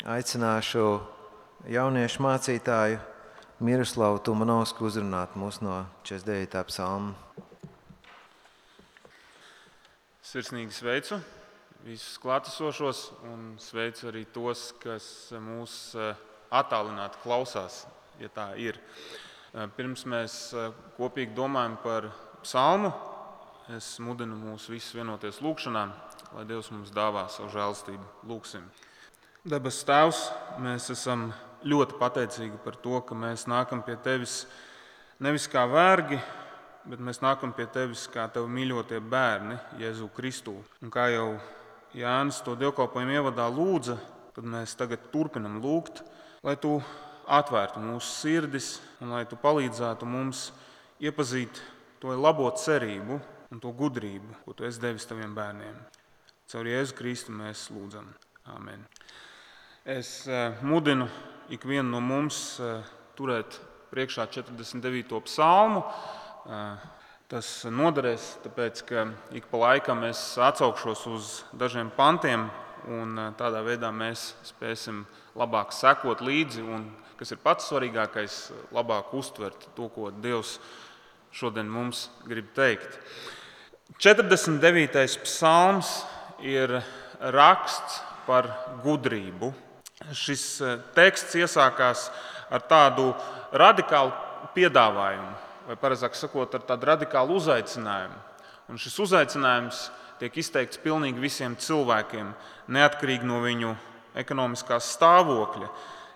aicināšu jauniešu mācītāju Miroslavu Tumanovsku uzrunāt mūs no 49. psalma. Sirsnīgi sveicu visus klātesošos un sveicu arī tos, kas mūs attālināti klausās, ja tā ir. Pirms mēs kopīgi domājam par psalmu, es mudinu mūs visus vienoties lūkšanā, lai Dievs mums dāvā savu žēlstību. Lūksim. Debes Tēvs, mēs esam ļoti pateicīgi par to, ka mēs nākam pie Tevis nevis kā vergi, bet mēs nākam pie Tevis kā Tev mīļotie bērni Jēzu Kristu. Un kā jau Jānis to dievkalpojumu ievadā lūdza, tad mēs tagad turpinam lūgt, lai Tu atvērtu mūsu sirdis un lai Tu palīdzētu mums iepazīt to labo cerību un to gudrību, ko Tu esi devis Taviem bērniem. Caur Jēzu Kristu mēs lūdzam. Āmen. Es mudinu ikvienu no mums turēt priekšā 49. psalmu. Tas noderēs, tāpēc, ka ik pa laikam es atsaukšos uz dažiem pantiem, un tādā veidā mēs spēsim labāk sekot līdzi, un, kas ir pats svarīgākais, labāk uztvert to, ko Dievs šodien mums grib teikt. 49. psalms ir raksts par gudrību. Šis teksts iesākās ar tādu radikālu piedāvājumu, vai pareizāk sakot, ar tādu radikālu uzaicinājumu. Un šis uzaicinājums tiek izteikts pilnīgi visiem cilvēkiem, neatkarīgi no viņu ekonomiskā stāvokļa.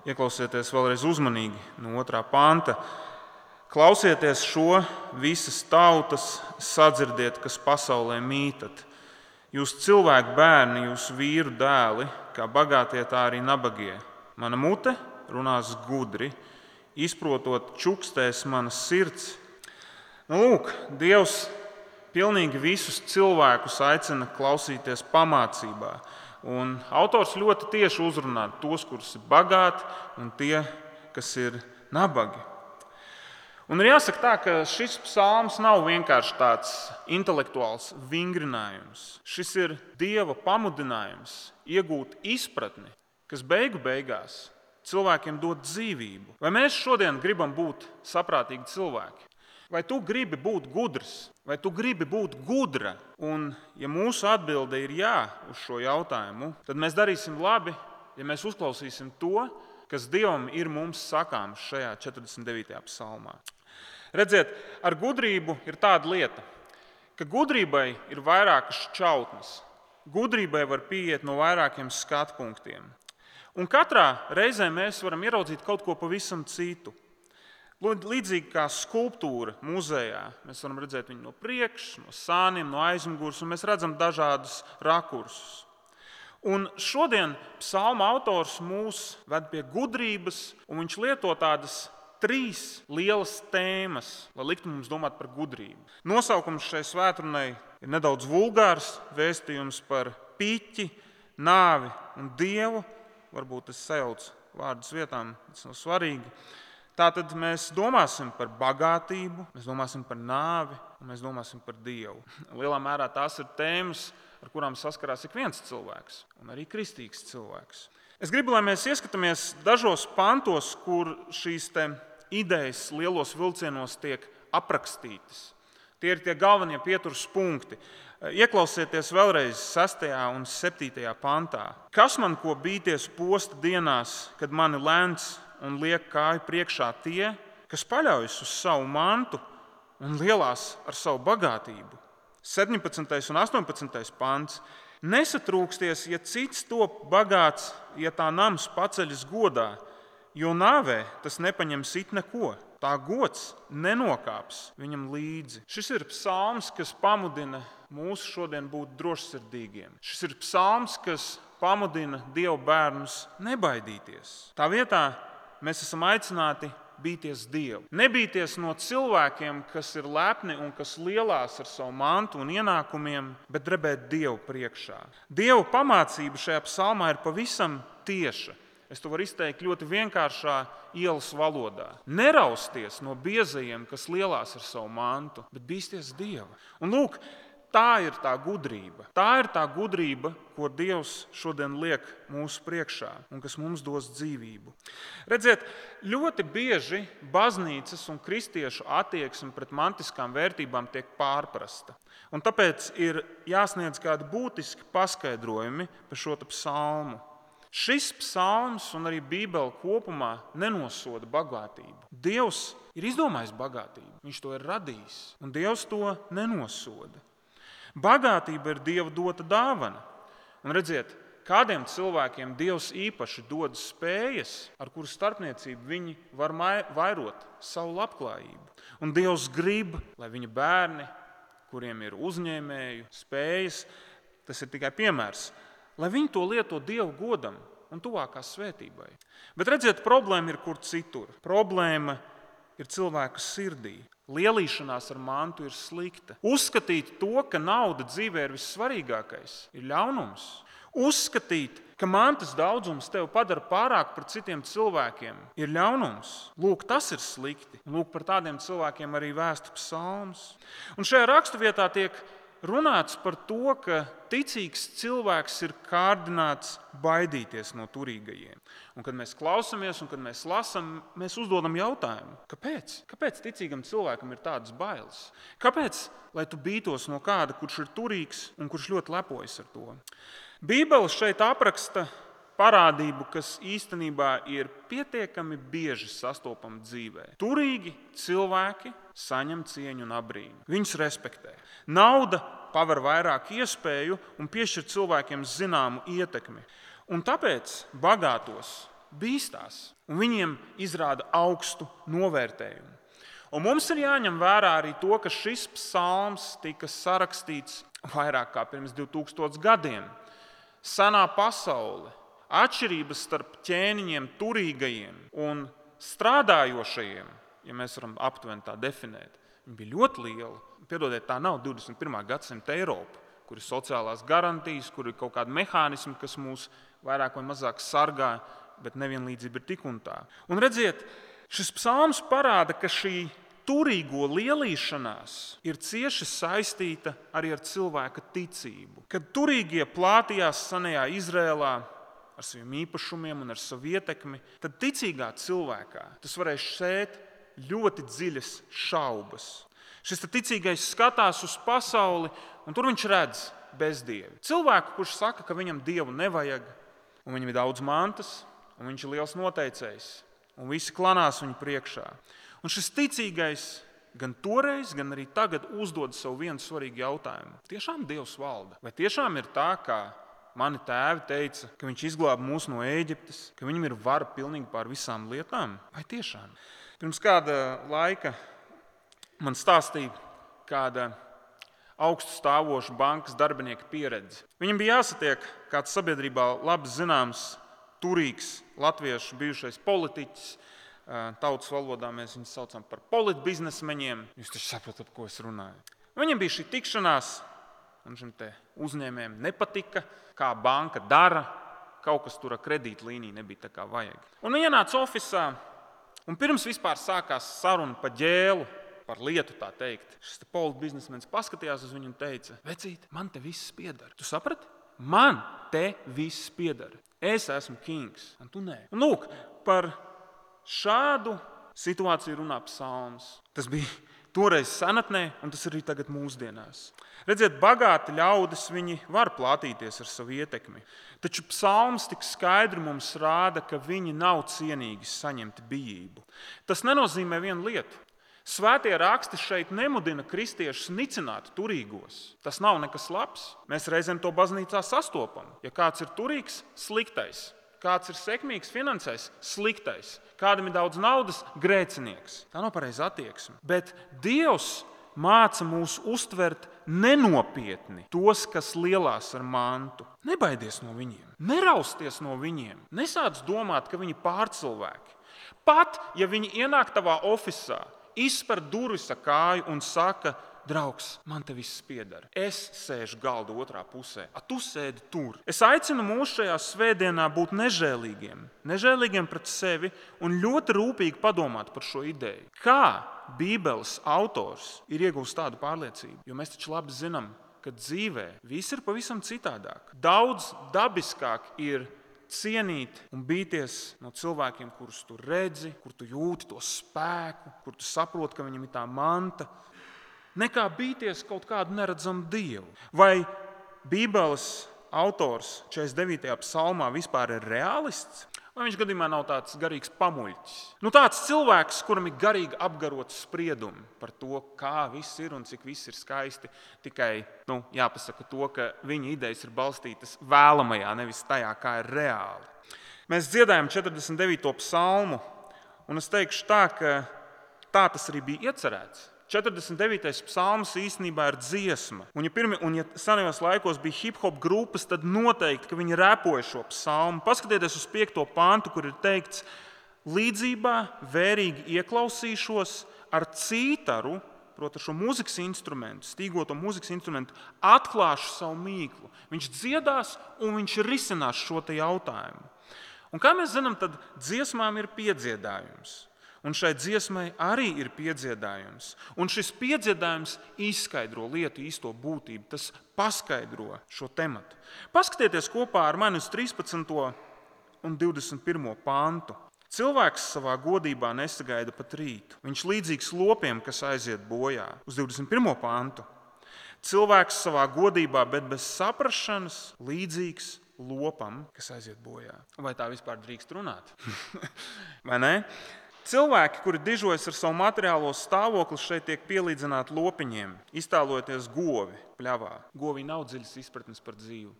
Ieklausieties vēlreiz uzmanīgi no 2. panta. Klausieties šo, visas tautas, sadzirdiet, kas pasaulē mītat. Jūs cilvēku bērni, jūs vīru dēli, kā bagātie, tā arī nabagie. Mana mute runās gudri, izprotot čukstēs manas sirds. Lūk, Dievs pilnīgi visus cilvēkus aicina klausīties pamācībā. Un autors ļoti tieši uzrunā tos, kurus ir bagāti, un tie, kas ir nabagi. Un ir jāsaka tā, ka šis psalms nav vienkārši tāds intelektuāls vingrinājums. Šis ir Dieva pamudinājums iegūt izpratni, kas beigu beigās cilvēkiem dod dzīvību. Vai mēs šodien gribam būt saprātīgi cilvēki? Vai tu gribi būt gudrs? Vai tu gribi būt gudra? Un, ja mūsu atbilde ir jā uz šo jautājumu, tad mēs darīsim labi, ja mēs uzklausīsim to, kas Dievam ir mums sakāms šajā 49. psalmā. Redziet, ar gudrību ir tāda lieta, ka gudrībai ir vairākas šķautnes. Gudrībai var pieiet no vairākiem skatu punktiem. Un katrā reizē mēs varam ieraudzīt kaut ko pavisam citu. Līdzīgi kā skulptūra muzejā, mēs varam redzēt viņu no priekšas, no sāniem, no aizmugures, un mēs redzam dažādus rakursus. Un šodien psalma autors mūs ved pie gudrības, un viņš lieto tādas 3 lielas tēmas, lai liktu mums domāt par gudrību. Nosaukums šai svētrunai ir nedaudz vulgārs, vēstījums par piķi, nāvi un Dievu. Varbūt es sajaucu vārdus vietām, tas nav svarīgi. Tātad mēs domāsim par bagātību, mēs domāsim par nāvi un mēs domāsim par Dievu. Lielā mērā tās ir tēmas, ar kurām saskarās ik viens cilvēks un arī kristīgs cilvēks. Es gribu, lai mēs ieskatāmies dažos pantos, kur šīs idejas lielos vilcienos tiek aprakstītas. Tie ir tie galvenie pieturas punkti. Ieklausieties vēlreiz 6. un 7. pantā. Kas man ko bīties posta dienās, kad mani lēns un liek kāju priekšā tie, kas paļaujas uz savu mantu un lielās ar savu bagātību? 17. un 18. pants. Nesatrūksties, ja cits top bagāts, ja tā nams paceļas godā, jo nāvē tas nepaņems it neko. Tā gods nenokāps viņam līdzi. Šis ir psalms, kas pamudina mūs šodien būt drošsirdīgiem. Šis ir psalms, kas pamudina Dieva bērnus nebaidīties. Tā vietā mēs esam aicināti bīties Dievu. Nebīties no cilvēkiem, kas ir lepni un kas lielās ar savu mantu un ienākumiem, bet drebēt Dievu priekšā. Dieva pamācība šajā psalmā ir pavisam tieša. Es to varu izteikt ļoti vienkāršā ielas valodā. Nerausties no biezajiem, kas lielās ar savu mantu, bet bīsties Dieva. Un lūk, Tā ir tā gudrība. Tā ir tā gudrība, ko Dievs šodien liek mūsu priekšā un kas mums dos dzīvību. Redziet, ļoti bieži baznīcas un kristiešu attieksme pret mantiskām vērtībām tiek pārprasta. Un tāpēc ir jāsniedz kādi būtiski paskaidrojumi par šo psalmu. Šis psalms un arī Bībele kopumā nenosoda bagātību. Dievs ir izdomājis bagātību, viņš to ir radījis, un Dievs to nenosoda. Bagātība ir Dieva dota dāvana. Un redziet, kādiem cilvēkiem Dievs īpaši dod spējas, ar kuru starpniecību viņi var vairot savu labklājību. Un Dievs grib, lai viņa bērni, kuriem ir uzņēmēju spējas, tas ir tikai piemērs, lai viņi to lieto Dieva godam un tuvākā svētībai. Bet redziet, problēma ir kur citur. Problēma ir cilvēka sirdī. Lielīšanās ar mantu ir slikta. Uzskatīt to, ka nauda dzīvē ir vissvarīgākais, ir ļaunums. Uzskatīt, ka mantas daudzums tevi padara pārāk par citiem cilvēkiem, ir ļaunums. Lūk, tas ir slikti. Lūk, par tādiem cilvēkiem arī vēsta psalms. Un šajā raksturvietā tiek runāts par to, ka ticīgs cilvēks ir kārdināts baidīties no turīgajiem. Un kad mēs klausamies un kad mēs lasām, mēs uzdodam jautājumu, kāpēc? Kāpēc ticīgam cilvēkam ir tādas bailes? Kāpēc, lai tu bītos no kāda, kurš ir turīgs un kurš ļoti lepojas ar to? Bībele šeit apraksta parādību, kas īstenībā ir pietiekami bieži sastopama dzīvē. Turīgi cilvēki saņem cieņu un abrīnu. Viņus respektē. Nauda paver vairāk iespēju un piešķir cilvēkiem zināmu ietekmi. Un tāpēc bagātos bīstās un viņiem izrāda augstu novērtējumu. Un mums ir jāņem vērā arī to, ka šis psalms tika sarakstīts vairāk kā pirms 2000 gadiem. Senā pasaule, atšķirības starp ķēniņiem, turīgajiem un strādājošajiem, ja mēs varam aptuveni tā definēt, viņi bija ļoti liela. Piedodiet, tā nav 21. gadsimta Eiropa, kur ir sociālās garantijas, kur ir kaut kādi mehānismi, kas mūs vairāk vai mazāk sargā, bet nevienlīdzība ir tik un tā. Un redziet, šis psalms parāda, ka šī turīgo lielīšanās ir cieši saistīta arī ar cilvēka ticību. Kad turīgie plātījās senajā Izrēlā ar saviem īpašumiem un ar savu ietekmi, tad ticīgā cilvēkā tas varēja sēt ļoti dziļas šaubas. Šis ticīgais skatās uz pasauli, un tur viņš redz bezdievi. Cilvēku, kurš saka, ka viņam dievu nevajag, un viņam ir daudz mantas, un viņš ir liels noteicējs, un visi klanās viņu priekšā. Un šis ticīgais gan toreiz, gan arī tagad uzdod sev vienu svarīgu jautājumu. Tiešām Dievs valda? Vai tiešām ir tā, kā mani tēvi teica, ka viņš izglāba mūs no Ēģiptes, ka viņam ir vara pilnīgi pār visām lietām? Vai tiešām? Pirms kāda laika man stāstīja kāda augstu stāvoša bankas darbinieka pieredze. Viņam bija jāsatiek kāds sabiedrībā labi zināms, turīgs latviešu bijušais politiķis. Tautas valodā mēs viņus saucam par politbiznesmeņiem. Jūs taču saprotat, ko es runāju. Viņam bija šī tikšanās, un šim te uzņēmējiem nepatika, kā banka dara. Kaut kas tur ar kredītlīniju nebija tā kā vajag. Un viņi ienāca ofisā, un pirms vispār sākās saruna pa ģēlu, par lietu tā teikt. Šis te politbiznesmenis paskatījās uz viņu un teica, vecīt, man te viss piedara. Tu saprati? Man te viss piedara. Es esmu kings, un tu nē. Un lūk, par šādu situāciju runā psalms. Tas bija toreiz senatnē, un tas arī tagad mūsdienās. Redziet, bagāti ļaudis viņi var plātīties ar savu ietekmi. Taču psalms tik skaidri mums rāda, ka viņi nav cienīgi saņemt bijību. Tas nenozīmē vienu lietu. Svētie raksti šeit nemudina kristiešus nicināt turīgos. Tas nav nekas labs. Mēs reizēm to baznīcā sastopam. Ja kāds ir turīgs, sliktais. Kāds ir sekmīgs, finansēs, sliktais. Kādam ir daudz naudas, grēcinieks. Tā nav pareiza attieksme. Bet Dievs māca mūs uztvert nenopietni tos, kas lielās ar mantu. Nebaidies no viņiem, nerausties no viņiem, nesāc domāt, ka viņi pārcilvēki. Pat, ja viņi ienāk tavā ofisā, izspēr durvis ar kāju un saka, draugs, man te viss piedara. Es sēžu galda otrā pusē, a tu sēdi tur. Es aicinu mūs šajā svētdienā būt nežēlīgiem pret sevi un ļoti rūpīgi padomāt par šo ideju. Kā Bībeles autors ir iegūst tādu pārliecību? Jo mēs taču labi zinām, ka dzīvē viss ir pavisam citādāk. Daudz dabiskāk ir cienīt un bīties no cilvēkiem, kurus tu redzi, kur tu jūti to spēku, kur tu saproti, ka viņam ir tā manta, nekā bīties kaut kādu neredzamu dievu. Vai Bībeles autors 49. psalmā vispār ir realists? Vai viņš gadījumā nav tāds garīgs pamuļķis? Tāds cilvēks, kuram ir garīgi apgarots spriedumi par to, kā viss ir un cik viss ir skaisti, tikai jāpasaka to, ka viņa idejas ir balstītas vēlamajā, nevis tajā, kā ir reāli. Mēs dziedājam 49. psalmu, un es teikšu tā, ka tā tas arī bija iecerēts. 49. psalms īstenībā ir dziesma. Un ja senajos laikos bija hip-hop grupas, tad noteikti, ka viņi repoja šo psalmu. Paskatieties uz 5. pantu, kur ir teikts: līdzībā vērīgi ieklausīšos ar cītaru, proti šo mūzikas instrumentu, stīgoto mūzikas instrumentu, atklāšu savu mīklu. Viņš dziedās un viņš risinās šo te jautājumu. Un kā mēs zinām, tad dziesmām ir piedziedājums. Un šai dziesmai arī ir piedziedājums. Un šis piedziedājums izskaidro lietu īsto būtību. Tas paskaidro šo tematu. Paskatieties kopā ar mani uz 13. un 21. pantu. Cilvēks savā godībā nesagaida pat rītu. Viņš līdzīgs lopiem, kas aiziet bojā. Uz 21. pantu. Cilvēks savā godībā, bet bez saprašanas, līdzīgs lopam, kas aiziet bojā. Vai tā vispār drīkst runāt? Vai ne? Cilvēki, kuri dižojas ar savu materiālo stāvokli, šeit tiek pielīdzināti lopiņiem, iztēlojoties govi pļavā. Govī nav dziļas izpratnes par dzīvi.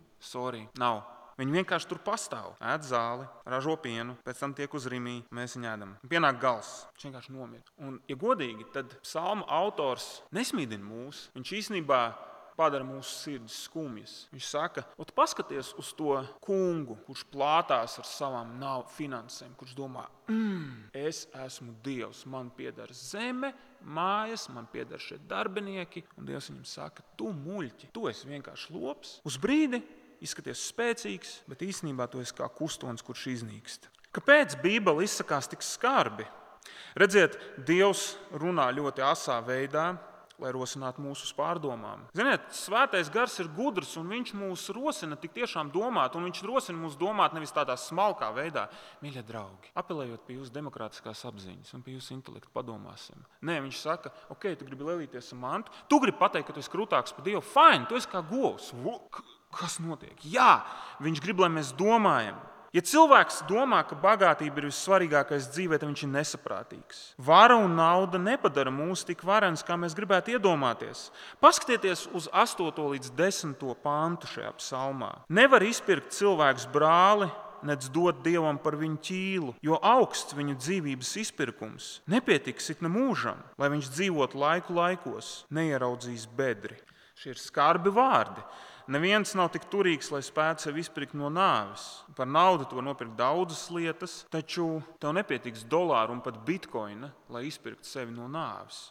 Nav. Viņi vienkārši tur pastāv, ēd zāli, ražo pienu, pēc tam tiek uz rimī, mēs viņu ēdam. Pienāk gals, viņš vienkārši nomira. Un, ja godīgi, tad psalma autors nesmīdina mūs. Viņš īstenībā padara mūsu sirdis skumjas. Viņš saka, paskaties uz to kungu, kurš plātās ar savām finansēm, kurš domā, es esmu Dievs, man pieder zeme, mājas, man pieder šie darbinieki, un Dievs viņam saka, tu muļķi, tu esi vienkārši lops. Uz brīdi izskaties spēcīgs, bet īstenībā tu esi kā kustonis, kurš iznīkst. Kāpēc Bībele izsakās tik skarbi? Redziet, Dievs runā ļoti asā veidā, lai rosinātu mūsu pārdomām. Ziniet, svētais gars ir gudrs, un viņš mūs rosina tik tiešām domāt, un viņš rosina mūs domāt nevis tādā smalkā veidā. Mīļie draugi, apelējot pie jūsu demokrātiskās apziņas un pie jūsu intelekta padomāsim. Nē, viņš saka, ok, tu gribi lēlīties ar mantu, tu gribi pateikt, ka tu esi krūtāks par Dievu, fine, tu esi kā govs. Kas notiek? Jā, viņš grib, lai mēs domājam. Ja cilvēks domā, ka bagātība ir vissvarīgākais dzīvē, tad viņš ir nesaprātīgs. Vara un nauda nepadara mūs tik varenas, kā mēs gribētu iedomāties. Paskatieties uz 8. līdz 10. pantu šajā psalmā. Nevar izpirkt cilvēks brāli, nec dot Dievam par viņu ķīlu, jo augsts viņu dzīvības izpirkums. Nepietiks it ne mūžam, lai viņš dzīvot laiku laikos, neieraudzīs bedri. Šie ir skarbi vārdi. Neviens nav tik turīgs, lai spētu sevi izpirkt no nāves. Par naudu tu var nopirkt daudzas lietas, taču tev nepietiks dolāru un pat bitkoina, lai izpirktu sevi no nāves.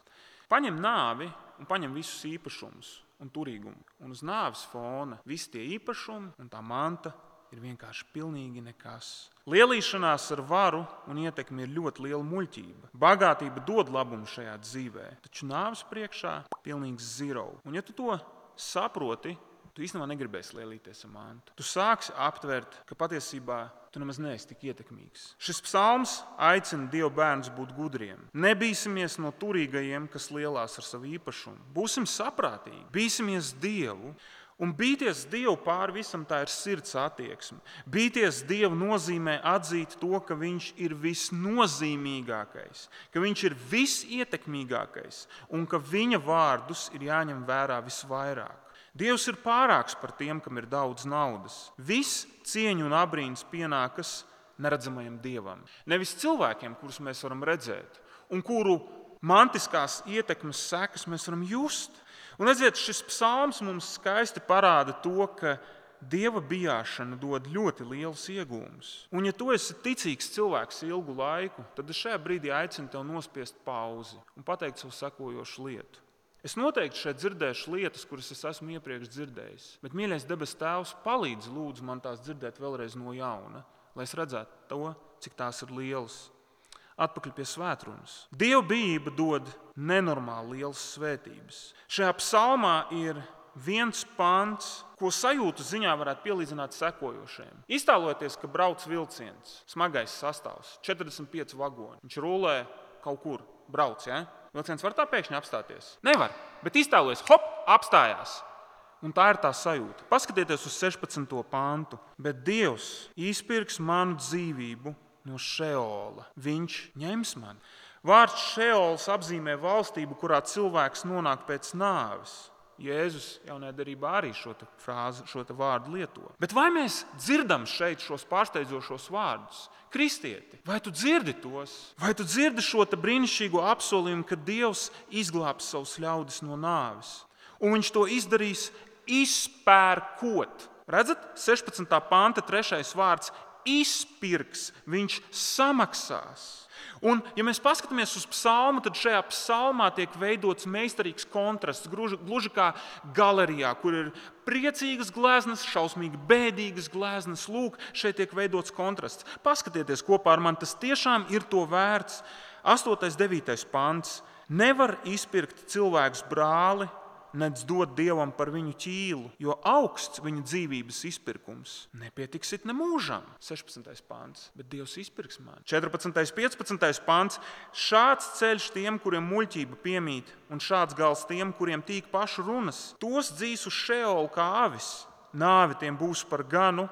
Paņem nāvi un paņem visus īpašumus un turīgumu. Un uz nāves fona visi tie īpašumi un tā manta ir vienkārši pilnīgi nekas. Lielīšanās ar varu un ietekmi ir ļoti liela muļķība. Bagātība dod labumu šajā dzīvē, taču nāves priekšā pilnīgs zero. Un ja tu to saproti, tu īstenībā negribēsi lielīties ar mantu. Tu sāksi aptvert, ka patiesībā tu nemaz neesi tik ietekmīgs. Šis psalms aicina Dieva bērnus būt gudriem. Nebīsimies no turīgajiem, kas lielās ar savu īpašumu. Būsim saprātīgi, bīsimies Dievu. Un bīties Dievu pāri visam, tā ir sirds attieksme. Bīties Dievu nozīmē atzīt to, ka Viņš ir visnozīmīgākais, ka Viņš ir visietekmīgākais un ka Viņa vārdus ir jāņem vērā visvairāk. Dievs ir pārāks par tiem, kam ir daudz naudas. Viss cieņu un abrīns pienākas neredzamajam Dievam. Nevis cilvēkiem, kurus mēs varam redzēt un kuru mantiskās ietekmes sekas mēs varam just. Un redziet, šis psalms mums skaisti parāda to, ka Dieva bijāšana dod ļoti lielus iegūmus. Un ja tu esi ticīgs cilvēks ilgu laiku, tad es šajā brīdī aicinu tev nospiest pauzi un pateikt savu sekojošu lietu. Es noteikti šeit dzirdēšu lietas, kuras es esmu iepriekš dzirdējis, bet, mīļais debes Tēvs, palīdz lūdzu man tās dzirdēt vēlreiz no jauna, lai es redzētu to, cik tās ir lielas. Atpakaļ pie svētrunas. Dieva bijība dod nenormāli lielas svētības. Šajā psalmā ir viens pants, ko sajūtu ziņā varētu pielīdzināt sekojošajam. Iztēlojieties, ka brauc vilciens, smagais sastāvs, 45 vagoni. Viņš rulē kaut kur, brauc, ja? Vilciens var tā pēkšņi apstāties? Nevar, bet iztēlojies, hop, apstājās. Un tā ir tā sajūta. Paskatieties uz 16. pantu. Bet Dievs izpirks manu dzīvību no Šeola. Viņš ņems mani. Vārds Šeols apzīmē valstību, kurā cilvēks nonāk pēc nāves. Jēzus jaunajā derībā arī šo vārdu lieto. Bet vai mēs dzirdam šeit šos pārsteidzošos vārdus? Kristieti, vai tu dzirdi tos? Vai tu dzirdi šo brīnišķīgo apsolījumu, ka Dievs izglābs savus ļaudis no nāves? Un viņš to izdarīs izpērkot. Redzat, 16. panta 3. vārds izpirks, viņš samaksās. Un, ja mēs paskatāmies uz psalmu, tad šajā psalmā tiek veidots meistarīgs kontrasts, gluži kā galerijā, kur ir priecīgas gleznas, šausmīgi bēdīgas gleznas. Lūk, šeit tiek veidots kontrasts. Paskatieties kopā ar mani, tas tiešām ir to vērts. 8. 9. pants. Nevar izpirkt cilvēks brāli, nedz dot Dievam par viņu ķīlu, jo augsts viņa dzīvības izpirkums. Nepietiksit ne mūžam. 16. pants. Bet Dievs izpirks mani. 14. 15. pants. Šāds ceļš tiem, kuriem muļķība piemīt, un šāds gals tiem, kuriem tīk pašu runas. Tos dzīs uz Šeolu kā avis. Nāve tiem būs par ganu.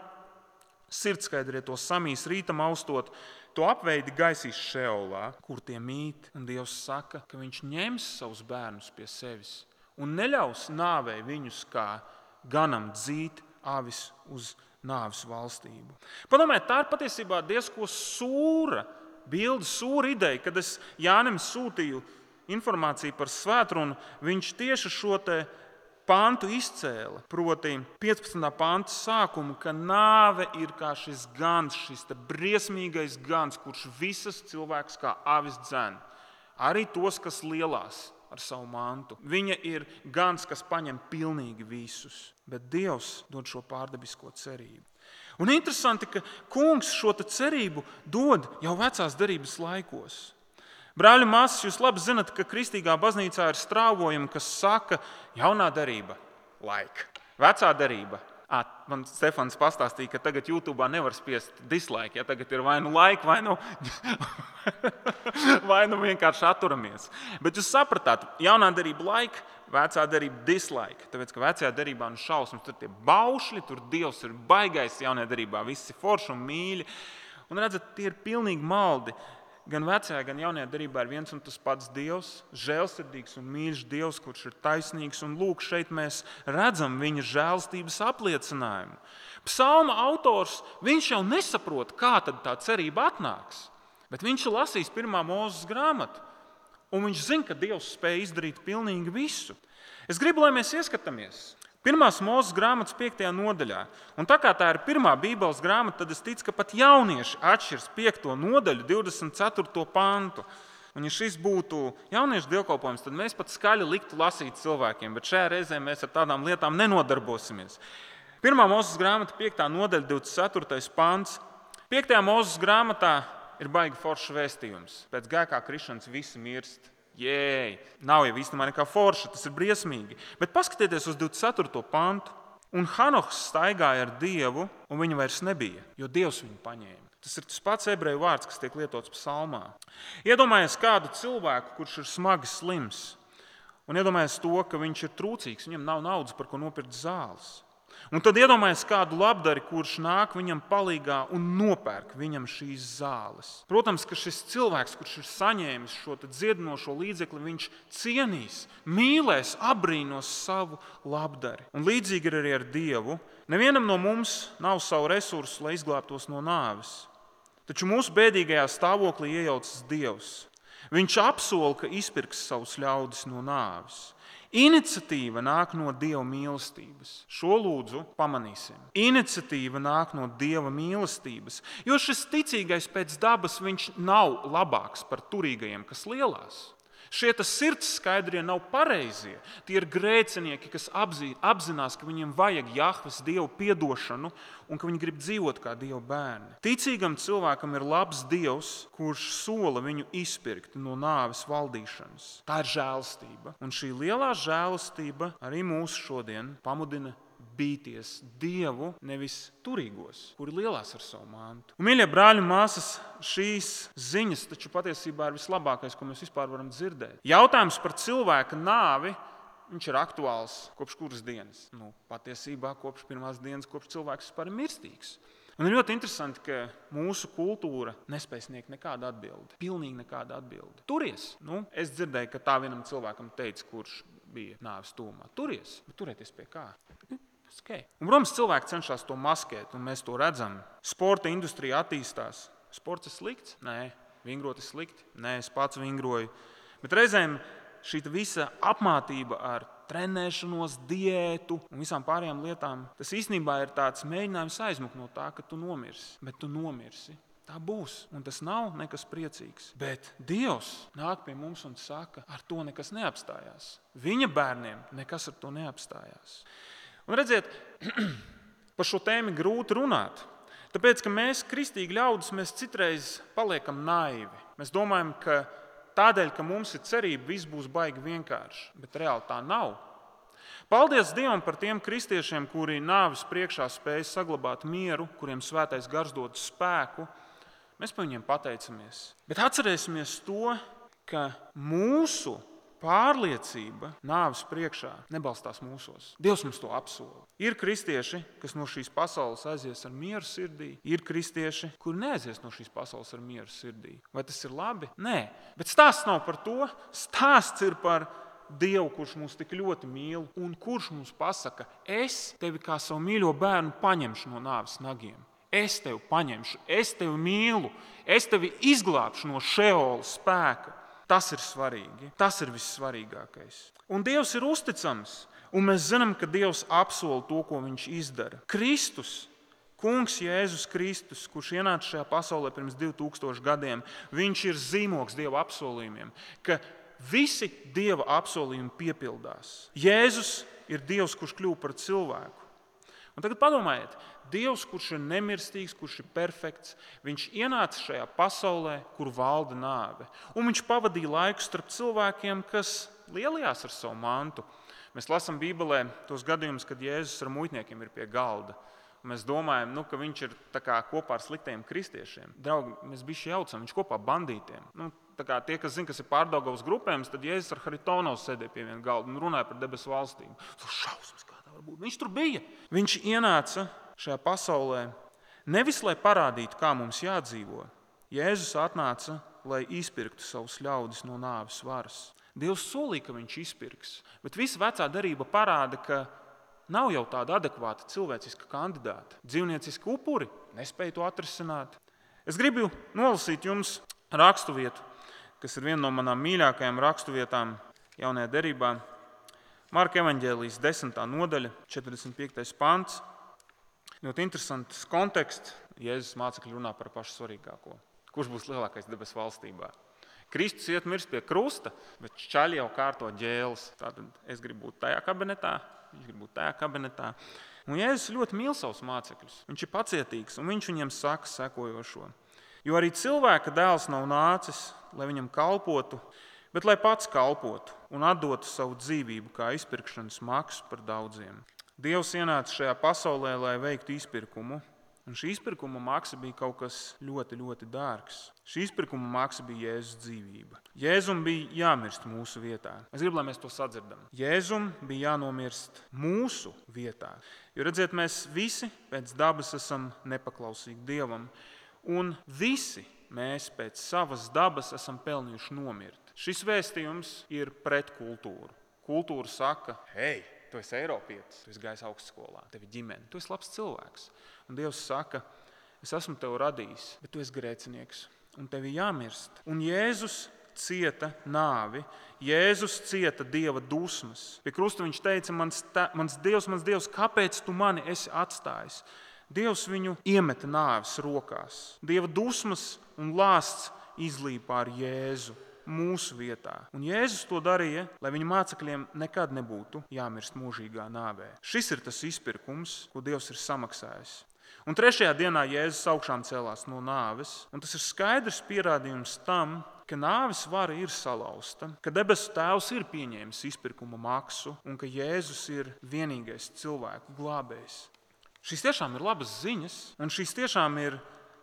Sirdskaidrie to samīs rītam austot. To apveidi gaisīs Šeolā, kur tie mīt. Un Dievs saka, ka viņš ņems savus bērnus pie sevis un neļaus nāvei viņus kā ganam dzīt avis uz nāves valstību. Padomājiet, tā ir patiesībā diezko sūra bilde, sūra ideja, kad es Jānim sūtīju informāciju par svētrunu, viņš tieši šo pantu izcēla, proti 15. panta sākumu, ka nāve ir kā šis gans, šis briesmīgais gans, kurš visas cilvēks kā avis dzen, arī tos, kas lielās ar savu mantu. Viņa ir gans, kas paņem pilnīgi visus, bet Dievs dod šo pārdabisko cerību. Un interesanti, ka kungs šo cerību dod jau vecās derības laikos. Brāļi, māsas, jūs labi zinat, ka kristīgā baznīcā ir strāvojumi, kas saka, jaunā derība, laika, vecā derība. Man Stefans pastāstīja, ka tagad YouTube nevar spiest dislike, ja tagad ir vai nu laika, vai nu vienkārši atturamies. Bet jūs sapratāt, jaunā derība laika, vecā derība dislike. Tāpēc, ka vecajā derībā šausmas, tur tie baušļi, tur Dievs ir baigais, jaunajā derībā visi forši un mīļi. Un redzat, tie ir pilnīgi maldi. Gan vecajā, gan jaunajā derībā ir viens un tas pats Dievs, žēlsirdīgs un mīļš Dievs, kurš ir taisnīgs. Un lūk, šeit mēs redzam viņa žēlstības apliecinājumu. Psalma autors, viņš jau nesaprot, kā tad tā cerība atnāks. Bet viņš ir lasījis 1. Mūzes grāmatu. Un viņš zina, ka Dievs spēj izdarīt pilnīgi visu. Es gribu, lai mēs ieskatāmies 1. Mūzes grāmatas 5. nodaļā. Un tā kā tā ir pirmā Bībeles grāmata, tad es ticu, ka pat jaunieši atšķirs 5. nodaļu 24. pantu. Un ja šis būtu jauniešu dievkalpojums, tad mēs pat skaļi liktu lasīt cilvēkiem, bet šajā reizē mēs ar tādām lietām nenodarbosimies. 1. Mūzes grāmata 5. nodaļa 24. pants. 5. Mūzes grāmatā ir baigi foršs vēstījums. Pēc grēkā krišanas visi mirst. Jēj, nav jau īstenībā nekā forša, tas ir briesmīgi. Bet paskatieties uz 24. pantu. Un Hanohs staigāja ar Dievu, un viņa vairs nebija, jo Dievs viņu paņēma. Tas ir tas pats ebreju vārds, kas tiek lietots psalmā. Iedomājies kādu cilvēku, kurš ir smagi slims, un iedomājies to, ka viņš ir trūcīgs, viņam nav naudas, par ko nopirkt zāles. Un tad iedomājies kādu labdari, kurš nāk viņam palīgā un nopērk viņam šīs zāles. Protams, ka šis cilvēks, kurš ir saņēmis šo dziedinošo līdzekli, viņš cienīs, mīlēs, apbrīnos savu labdari. Un līdzīgi ir arī ar Dievu. Nevienam no mums nav savu resursu, lai izglābtos no nāves. Taču mūsu bēdīgajā stāvoklī iejaucas Dievs. Viņš apsola, ka izpirks savus ļaudis no nāves. Iniciatīva nāk no Dieva mīlestības. Šo lūdzu pamanīsim. Iniciatīva nāk no Dieva mīlestības, jo šis ticīgais pēc dabas viņš nav labāks par turīgajiem, kas lielās. Šie sirds skaidrie nav pareizie. Tie ir grēcinieki, kas apzinās, ka viņiem vajag Jahves Dievu piedošanu un ka viņi grib dzīvot kā Dieva bērni. Ticīgam cilvēkam ir labs Dievs, kurš sola viņu izpirkt no nāves valdīšanas. Tā ir žēlastība. Un šī lielā žēlastība arī mūs šodien pamudina bīties Dievu, nevis turīgos, kuri lielās ar savu mantu. Un, mīļie brāļi un māsas, šīs ziņas taču patiesībā ir vislabākais, ko mēs vispār varam dzirdēt. Jautājums par cilvēka nāvi, viņš ir aktuāls kopš kuras dienas? Patiesībā kopš pirmās dienas, kopš cilvēks vispār ir mirstīgs. Un ir ļoti interesanti, ka mūsu kultūra nespēj sniegt nekādu atbildi. Pilnīgi nekādu atbildi. Turies. Es dzirdēju, ka tā vienam cilvēkam teica, kurš bija nāves tūmā. Turies. Bet turēties pie kā? Okay. Un, protams, cilvēki cenšas to maskēt, un mēs to redzam. Sporta industrija attīstās. Sports ir slikts? Nē. Vingrot ir slikti? Nē, es pats vingroju. Bet reizēm šī visa apmātība ar trenēšanos, diētu un visām pārējām lietām, tas īstenībā ir tāds mēģinājums aizmukt no tā, ka tu nomirsi. Bet tu nomirsi. Tā būs, un tas nav nekas priecīgs. Bet Dievs nāk pie mums un saka, ar to nekas neapstājās. Viņa bērniem nekas ar to neapstājās. Un redziet, par šo tēmu grūti runāt. Tāpēc, ka mēs, kristīgi ļaudis, mēs citreiz paliekam naivi. Mēs domājam, ka tādēļ, ka mums ir cerība, viss būs baigi vienkārši. Bet reāli tā nav. Paldies Dievam par tiem kristiešiem, kuri nāves priekšā spēj saglabāt mieru, kuriem svētais gars dod spēku. Mēs par viņiem pateicamies. Bet atcerēsimies to, ka mūsu pārliecība nāves priekšā nebalstās mūsos. Dievs mums to apsola. Ir kristieši, kas no šīs pasaules aizies ar mieru sirdī. Ir kristieši, kuri neaizies no šīs pasaules ar mieru sirdī. Vai tas ir labi? Nē. Bet stāsts nav par to. Stāsts ir par Dievu, kurš mūs tik ļoti mīl un kurš mums pasaka, es tevi kā savu mīļo bērnu paņemšu no nāves nagiem. Es tevi paņemšu, es tevi mīlu, es tevi izglābšu no Šeola spēka. Tas ir svarīgi. Tas ir vissvarīgākais. Un Dievs ir uzticams. Un mēs zinām, ka Dievs apsola to, ko viņš izdara. Kristus, Kungs Jēzus Kristus, kurš ienāca šajā pasaulē pirms 2000 gadiem, viņš ir zīmogs Dieva apsolījumiem, ka visi Dieva apsolījumi piepildās. Jēzus ir Dievs, kurš kļuva par cilvēku. Un tagad padomājiet, Dievs, kurš ir nemirstīgs, kurš ir perfekts, viņš ienāca šajā pasaulē, kur valda nāve. Un viņš pavadīja laiku starp cilvēkiem, kas lielījās ar savu mantu. Mēs lasām Bībelē tos gadījumus, kad Jēzus ar muitniekiem ir pie galda. Mēs domājam, ka viņš ir kopā ar sliktiem kristiešiem. Draugi, mēs bišķi jaucam, viņš kopā ar bandītiem. Tie, kas zina, kas ir Pārdaugavas grupējums, tad Jēzus ar Haritonovs sēdēja pie viena galda un runāja par debesu valstīm. Šausmas, kā tā var būt. Viņš tur bija. Viņš ienāca šajā pasaulē nevis, lai parādītu, kā mums jādzīvo. Jēzus atnāca, lai izpirktu savus ļaudis no nāves varas. Dievs solīja, ka viņš izpirks, bet visa vecā darība parāda, ka nav jau tāda adekvāta cilvēciska kandidāta. Dzīvnieciski upuri nespēja to atrisināt. Es gribu nolasīt jums raksturvietu, kas ir viena no manām mīļākajām raksturvietām jaunajā derībā. Marka evaņģēlijas 10. nodaļa, 45. pants. Ļoti interesants konteksts. Jēzus mācekļi runā par pašu svarīgāko. Kurš būs lielākais debesu valstībā? Kristus iet mirst pie krusta, bet čaļi jau kārto ģēles. Tātad es gribu būt tajā kabinetā, viņš grib būt tajā kabinetā. Un Jēzus ļoti mīl savus mācekļus. Viņš ir pacietīgs, un viņš viņiem saka sekojošo. Jo arī cilvēka dēls nav nācis, lai viņam kalpotu, bet lai pats kalpotu un atdotu savu dzīvību kā izpirkšanas maksu par daudziem. Dievs ienāca šajā pasaulē, lai veiktu izpirkumu, un šī izpirkuma maksa bija kaut kas ļoti, ļoti dārgs. Šī izpirkuma maksa bija Jēzus dzīvība. Jēzum bija jāmirst mūsu vietā. Es gribu, lai mēs to sadzirdam. Jēzum bija jānomirst mūsu vietā. Jo redziet, mēs visi pēc dabas esam nepaklausīgi Dievam, un visi mēs pēc savas dabas esam pelnījuši nomirt. Šis vēstījums ir pret kultūru. Kultūra saka, hei, tu esi Eiropietis, tu esi gājis augstskolā, tev ir ģimene, tu esi labs cilvēks. Un Dievs saka, es esmu tevi radījis, bet tu esi grēcinieks, un tev ir jāmirst. Un Jēzus cieta nāvi, Jēzus cieta Dieva dusmas. Pie krusta viņš teica, mans Dievs, kāpēc tu mani esi atstājis? Dievs viņu iemeta nāves rokās. Dieva dusmas un lāsts izlīja pār Jēzu. mūsu vietā. Un Jēzus to darīja, lai viņa mācekļiem nekad nebūtu jāmirst mūžīgā nāvē. Šis ir tas izpirkums, ko Dievs ir samaksājis. Un 3. dienā Jēzus augšām cēlās no nāves, un tas ir skaidrs pierādījums tam, ka nāves vara ir salauzta, ka debesu Tēvs ir pieņēmis izpirkuma maksu un ka Jēzus ir vienīgais cilvēku glābējs. Šīs tiešām ir labas ziņas, un šīs tiešām ir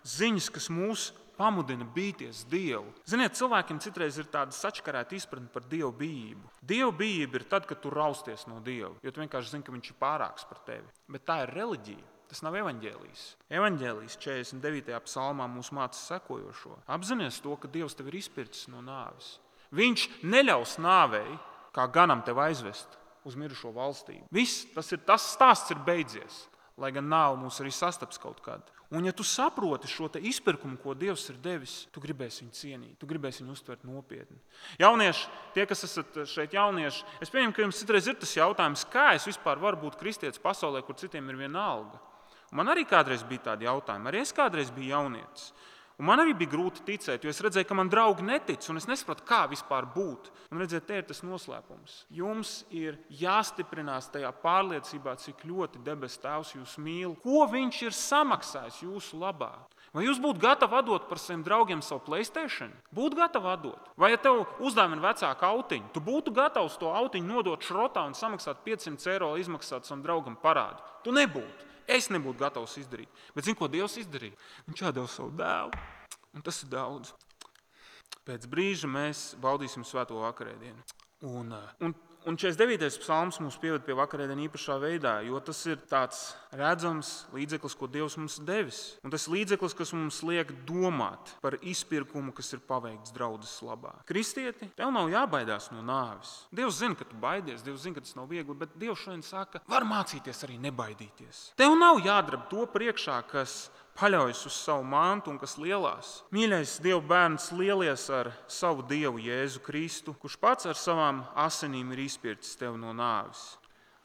ziņas, kas mūs pamudina bīties Dievu. Ziniet, cilvēkiem citreiz ir tāda sačakarēta izpratne par Dievu bijību. Dievu bijība ir tad, kad tu rausties no Dieva, jo tu vienkārši zini, ka viņš ir pārāks par tevi. Bet tā ir reliģija. Tas nav evaņģēlijs. Evaņģēlijs 49. psalmā mūs māca sekojošo. Apzinies to, ka Dievs tevi ir izpircis no nāves. Viņš neļaus nāvei, kā ganam tevi aizvest uz mirušo valstību. Viss, tas stāsts ir beidzies, lai gan nāve mūs arī sastaps kaut kad. Un ja tu saproti šo te izpirkumu, ko Dievs ir devis, tu gribēsi viņu cienīt, tu gribēsi viņu uztvert nopietni. Jaunieši, tie, kas esat šeit jaunieši, es pieņemu, ka jums citreiz ir tas jautājums, kā es vispār varu būt kristietis pasaulē, kur citiem ir viena alga. Un man arī kādreiz bija tādi jautājumi, arī es kādreiz biju jaunietis. Un man arī bija grūti ticēt, jo es redzēju, ka man draugi netic, un es nesapratu, kā vispār būt. Un redziet, te ir tas noslēpums. Jums ir jāstiprinās tajā pārliecībā, cik ļoti debesu Tēvs jūs mīl, ko viņš ir samaksājis jūsu labā. Vai jūs būtu gatavi atdot par saviem draugiem savu PlayStation? Būtu gatavi atdot. Vai ja tev uzdāvina vecāku autiņu, tu būtu gatavs to autiņu nodot šrotā un samaksāt 500 eiro, izmaksāt savam draugam parādu? Tu nebūtu. Es nebūtu gatavs izdarīt. Bet zini, ko Dievs izdarīja? Viņš atdeva savu dēlu. Un tas ir daudz. Pēc brīža mēs baudīsim svēto vakarēdienu. Un 49. psalms mūs pieved pie vakarēdienu īpašā veidā, jo tas ir tāds redzams līdzeklis, ko Dievs mums devis. Un tas līdzeklis, kas mums liek domāt par izpirkumu, kas ir paveikts draudzes labā. Kristieti, tev nav jābaidās no nāves. Dievs zina, ka tu baidies, Dievs zina, ka tas nav viegli, bet Dievs šodien saka, var mācīties arī nebaidīties. Tev nav jādrab to priekšā, kas paļaujas uz savu mantu un kas lielās. Mīļais Dieva bērns, lielies ar savu Dievu Jēzu Kristu, kurš pats ar savām asinīm ir izpircis tevi no nāves.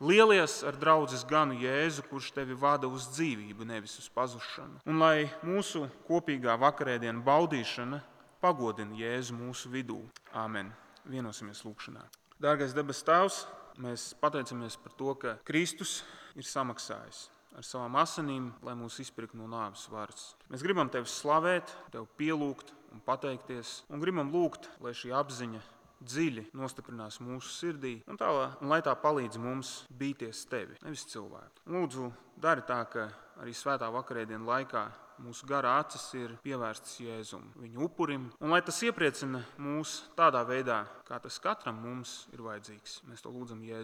Lielies ar draudzes ganu Jēzu, kurš tevi vada uz dzīvību, nevis uz pazušanu. Un lai mūsu kopīgā vakarēdiena baudīšana pagodina Jēzu mūsu vidū. Āmen. Vienosimies lūkšanā. Dārgais debesu Tēvs, mēs pateicamies par to, ka Kristus ir samaksājis ar savām asinīm, lai mūs izpirktu no nāves varas. Mēs gribam Tevi slavēt, Tev pielūgt un pateikties, un gribam lūgt, lai šī apziņa dziļi nostiprinās mūsu sirdī, un lai tā palīdz mums bīties Tevi, nevis cilvēku. Lūdzu, dari tā, ka arī svētā vakarēdienu laikā mūsu garā acis ir pievērstas Jēzum, viņa upurim, un lai tas iepriecina mūs tādā veidā, kā tas katram mums ir vajadzīgs. Mēs to lūdzam Jēzus